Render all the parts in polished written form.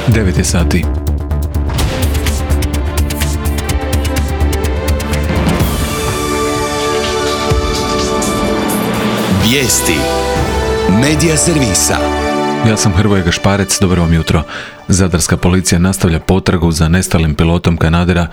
9 je sati. Vijesti Medija servisa. Ja sam Hrvoje Gašparec, dobro vam jutro. Zadarska policija nastavlja potragu za nestalim pilotom Canadaira,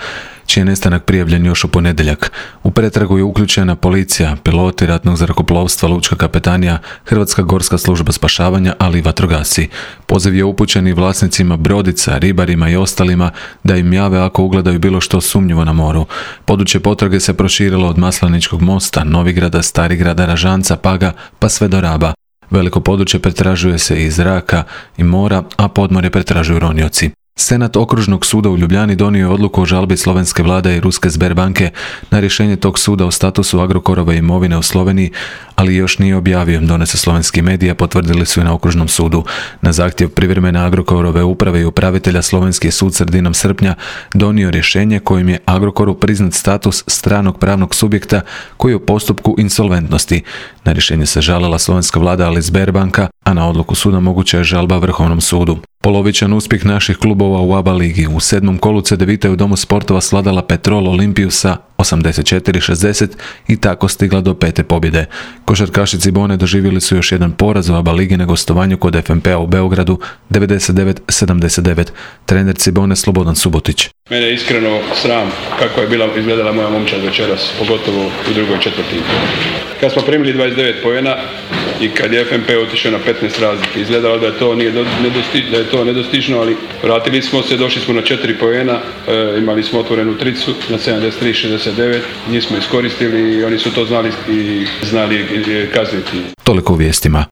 čiji je nestanak prijavljen još u ponedjeljak. U pretragu je uključena policija, piloti ratnog zrakoplovstva, lučka kapetanija, Hrvatska gorska služba spašavanja, ali i vatrogasci. Poziv je upućen i vlasnicima brodica, ribarima i ostalima da im jave ako ugledaju bilo što sumnjivo na moru. Područje potrage se proširilo od Masleničkog mosta, Novigrada, Starigrada, Ražanca, Paga pa sve do Raba. Veliko područje pretražuje se iz zraka i mora, a podmorje pretražuju ronioci. Senat Okružnog suda u Ljubljani donio je odluku o žalbi slovenske vlade i ruske Sberbanke na rješenje tog suda o statusu Agrokorove imovine u Sloveniji, ali još nije objavio, donese slovenski mediji, potvrdili su i na Okružnom sudu. Na zahtjev privremene Agrokorove uprave i upravitelja slovenski sud sredinom srpnja donio rješenje kojim je Agrokoru priznat status stranog pravnog subjekta koji je u postupku insolventnosti. Na rješenje se žalila slovenska vlada, ali Sberbanka, a na odluku suda moguća je žalba Vrhovnom sudu. Polovičan uspjeh naših klubova u ABA ligi. U 7. kolu Cedevita je u Domu sportova svladala Petrol Olimpiju sa 84-60 i tako stigla do 5. pobjede. Košarkaši Cibone doživjeli su još jedan poraz u ABA ligi na gostovanju kod FNP-a u Beogradu 99-79. Trener Cibone Slobodan Subotić. Mene je iskreno sram kako je izgledala moja momčad večeras, pogotovo u drugoj četvrtini. Kad smo primili 29 poena i kad je FNP otišao na 15 razlike, izgledalo da je to nedostižno, ali vratili smo se, došli smo na 4 poena, imali smo otvorenu tricu na 73-69, njih smo iskoristili i oni su to znali kazniti. Toliko u vijestima.